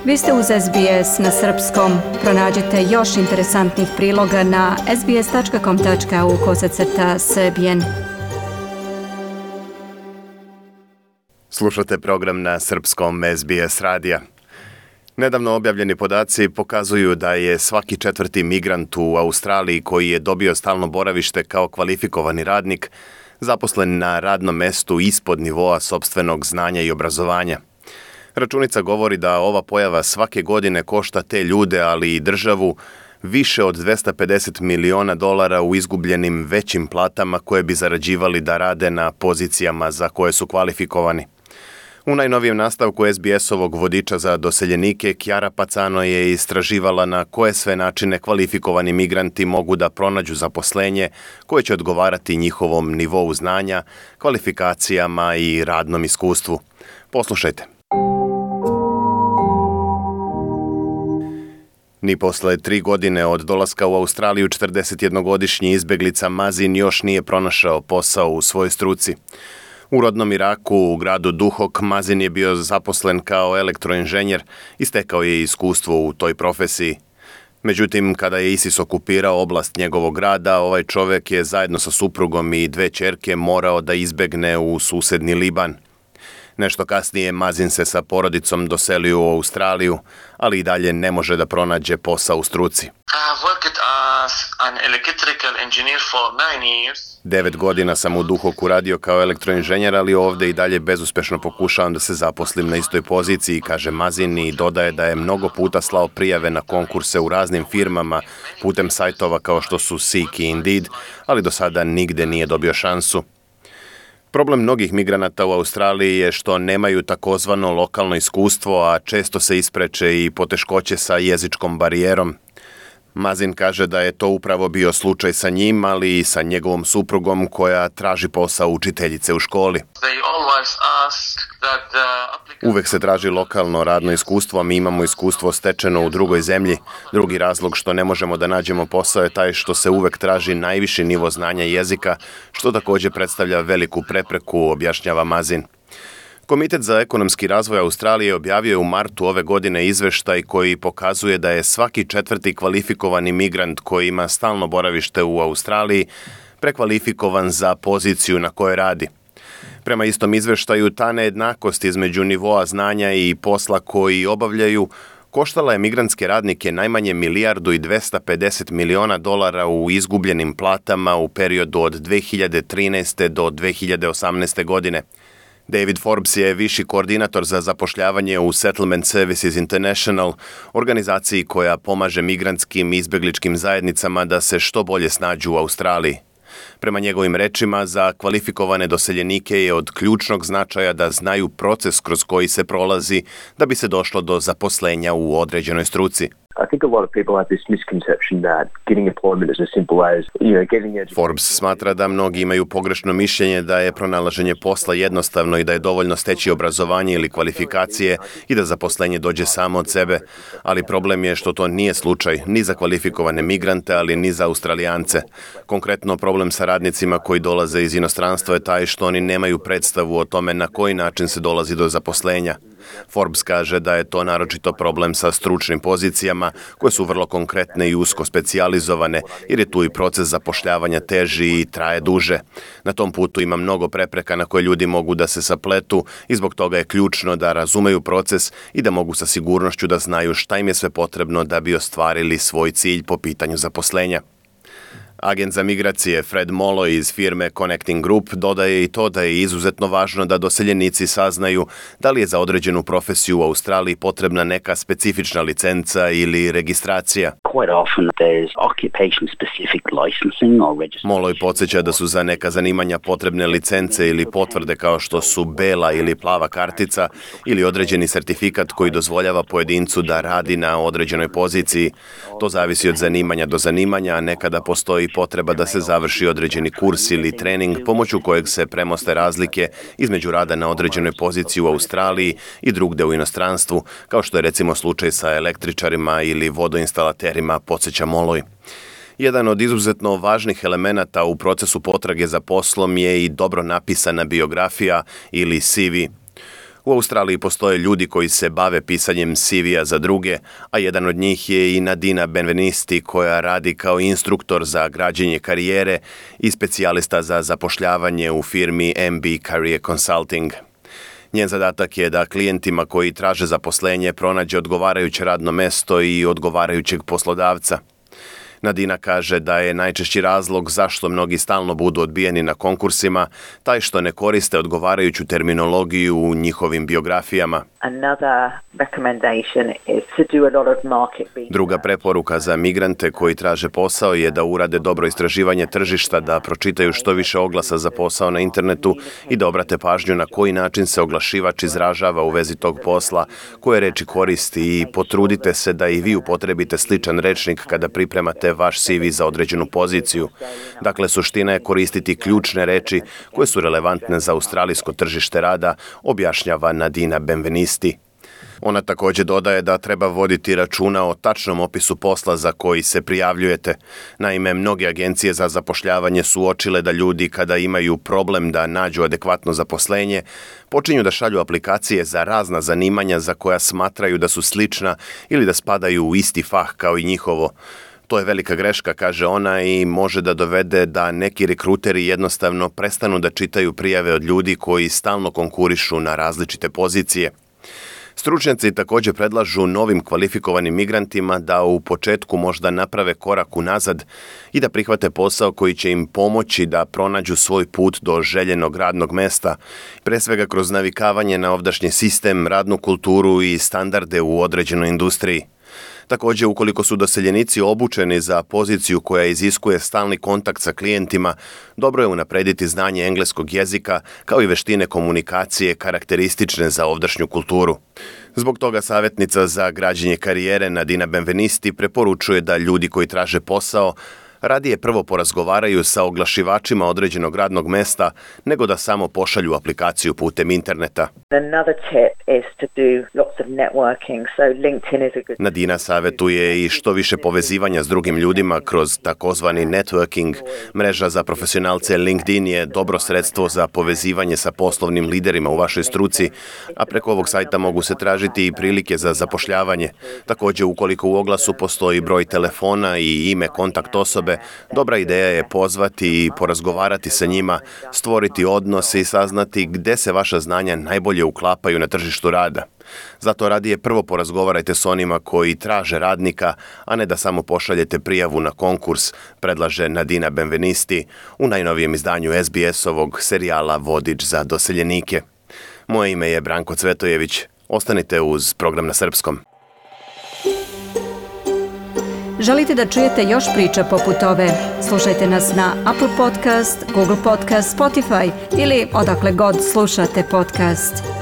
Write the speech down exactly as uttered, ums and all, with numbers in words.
Vi ste uz S B S na srpskom. Pronađite još interesantnih priloga na sbs.com.au kosacrta srbijen. Slušate program na srpskom S B S radija. Nedavno objavljeni podaci pokazuju da je svaki četvrti migrant u Australiji koji je dobio stalno boravište kao kvalifikovani radnik zaposlen na radnom mestu ispod nivoa sopstvenog znanja i obrazovanja. Računica govori da ova pojava svake godine košta te ljude, ali i državu, više od dvesta pedeset miliona dolara u izgubljenim većim platama koje bi zarađivali da rade na pozicijama za koje su kvalifikovani. U najnovijem nastavku S B S-ovog vodiča za doseljenike, Chiara Pacano je istraživala na koje sve načine kvalifikovani migranti mogu da pronađu zaposlenje koje će odgovarati njihovom nivou znanja, kvalifikacijama i radnom iskustvu. Poslušajte. Ni posle tri godine od dolaska u Australiju četrdesetjednogodišnji izbeglica Mazin još nije pronašao posao u svojoj struci. U rodnom Iraku, u gradu Duhok, Mazin je bio zaposlen kao elektroinženjer i stekao je iskustvo u toj profesiji. Međutim, kada je ISIS okupirao oblast njegovog grada, ovaj čovjek je zajedno sa suprugom i dve ćerke morao da izbegne u susedni Liban. Nešto kasnije Mazin se sa porodicom doselio u Australiju, ali i dalje ne može da pronađe posao u struci. Devet godina sam u Duhoku radio kao elektroinženjer, ali ovdje i dalje bezuspešno pokušavam da se zaposlim na istoj poziciji, kaže Mazin i dodaje da je mnogo puta slao prijave na konkurse u raznim firmama putem sajtova kao što su Seek i Indeed, ali do sada nigde nije dobio šansu. Problem mnogih migranata u Australiji je što nemaju takozvano lokalno iskustvo, a često se ispreče i poteškoće sa jezičkom barijerom. Mazin kaže da je to upravo bio slučaj sa njim, ali i sa njegovom suprugom koja traži posao učiteljice u školi. Uvek se traži lokalno radno iskustvo, a mi imamo iskustvo stečeno u drugoj zemlji. Drugi razlog što ne možemo da nađemo posao je taj što se uvek traži najviši nivo znanja jezika, što također predstavlja veliku prepreku, objašnjava Mazin. Komitet za ekonomski razvoj Australije objavio je u martu ove godine izveštaj koji pokazuje da je svaki četvrti kvalifikovani migrant koji ima stalno boravište u Australiji prekvalifikovan za poziciju na kojoj radi. Prema istom izveštaju, ta nejednakost između nivoa znanja i posla koji obavljaju koštala je migrantske radnike najmanje milijardu i dvesta pedeset miliona dolara u izgubljenim platama u periodu od dve hiljade trinaeste do dve hiljade osamnaeste godine. David Forbes je viši koordinator za zapošljavanje u Settlement Services International, organizaciji koja pomaže migrantskim i izbegličkim zajednicama da se što bolje snađu u Australiji. Prema njegovim rečima, za kvalifikovane doseljenike je od ključnog značaja da znaju proces kroz koji se prolazi da bi se došlo do zaposlenja u određenoj struci. Forbes smatra da mnogi imaju pogrešno mišljenje da je pronalaženje posla jednostavno i da je dovoljno steći obrazovanje ili kvalifikacije i da zaposlenje dođe samo od sebe, ali problem je što to nije slučaj ni za kvalifikovane migrante, ali ni za Australijance. Konkretno, problem sa radnicima koji dolaze iz inostranstva je taj što oni nemaju predstavu o tome na koji način se dolazi do zaposlenja. Forbes kaže da je to naročito problem sa stručnim pozicijama koje su vrlo konkretne i usko specijalizovane, jer je tu i proces zapošljavanja teži i traje duže. Na tom putu ima mnogo prepreka na koje ljudi mogu da se sapletu i zbog toga je ključno da razumeju proces i da mogu sa sigurnošću da znaju šta im je sve potrebno da bi ostvarili svoj cilj po pitanju zaposlenja. Agent za migracije Fred Molloy iz firme Connecting Group dodaje i to da je izuzetno važno da doseljenici saznaju da li je za određenu profesiju u Australiji potrebna neka specifična licenca ili registracija. Molloy podsjeća da su za neka zanimanja potrebne licence ili potvrde kao što su bela ili plava kartica ili određeni sertifikat koji dozvoljava pojedincu da radi na određenoj poziciji. To zavisi od zanimanja do zanimanja, a nekada postoji potreba da se završi određeni kurs ili trening pomoću kojeg se premoste razlike između rada na određenoj poziciji u Australiji i drugde u inostranstvu, kao što je recimo slučaj sa električarima ili vodoinstalaterima, podsjeća Molloy. Jedan od izuzetno važnih elemenata u procesu potrage za poslom je i dobro napisana biografija ili C V. U Australiji postoje ljudi koji se bave pisanjem C V-a za druge, a jedan od njih je i Nadina Benvenisti koja radi kao instruktor za građenje karijere i specijalista za zapošljavanje u firmi M B Career Consulting. Njen zadatak je da klijentima koji traže zaposlenje pronađe odgovarajuće radno mesto i odgovarajućeg poslodavca. Nadina kaže da je najčešći razlog zašto mnogi stalno budu odbijeni na konkursima taj što ne koriste odgovarajuću terminologiju u njihovim biografijama. Druga preporuka za migrante koji traže posao je da urade dobro istraživanje tržišta, da pročitaju što više oglasa za posao na internetu i da obrate pažnju na koji način se oglašivač izražava u vezi tog posla, koje reči koristi i potrudite se da i vi upotrebite sličan rečnik kada pripremate vaš C V za određenu poziciju. Dakle, suština je koristiti ključne reči koje su relevantne za australijsko tržište rada, objašnjava Nadina Benvenisti. Ona također dodaje da treba voditi računa o tačnom opisu posla za koji se prijavljujete. Naime, mnoge agencije za zapošljavanje su uočile da ljudi kada imaju problem da nađu adekvatno zaposlenje, počinju da šalju aplikacije za razna zanimanja za koja smatraju da su slična ili da spadaju u isti fah kao i njihovo. To je velika greška, kaže ona, i može da dovede da neki rekruteri jednostavno prestanu da čitaju prijave od ljudi koji stalno konkurišu na različite pozicije. Stručnjaci također predlažu novim kvalifikovanim migrantima da u početku možda naprave korak unazad i da prihvate posao koji će im pomoći da pronađu svoj put do željenog radnog mesta, pre svega kroz navikavanje na ovdašnji sistem, radnu kulturu i standarde u određenoj industriji. Također, ukoliko su doseljenici obučeni za poziciju koja iziskuje stalni kontakt sa klijentima, dobro je unaprediti znanje engleskog jezika kao i veštine komunikacije karakteristične za ovdašnju kulturu. Zbog toga savjetnica za građenje karijere Nadina Benvenisti preporučuje da ljudi koji traže posao radije prvo porazgovaraju sa oglašivačima određenog radnog mesta nego da samo pošalju aplikaciju putem interneta. Nadina savjetuje i što više povezivanja s drugim ljudima kroz takozvani networking. Mreža za profesionalce LinkedIn je dobro sredstvo za povezivanje sa poslovnim liderima u vašoj struci, a preko ovog sajta mogu se tražiti i prilike za zapošljavanje. Također, ukoliko u oglasu postoji broj telefona i ime kontakt osobe, dobra ideja je pozvati i porazgovarati sa njima, stvoriti odnose i saznati gde se vaša znanja najbolje uklapaju na tržištu rada. Zato radije prvo porazgovarajte s onima koji traže radnika, a ne da samo pošaljete prijavu na konkurs, predlaže Nadina Benvenisti u najnovijem izdanju S B S-ovog serijala Vodič za doseljenike. Moje ime je Branko Cvetojević. Ostanite uz program na srpskom. Želite da čujete još priča poput ove? Slušajte nas na Apple Podcast, Google Podcast, Spotify ili odakle god slušate podcast.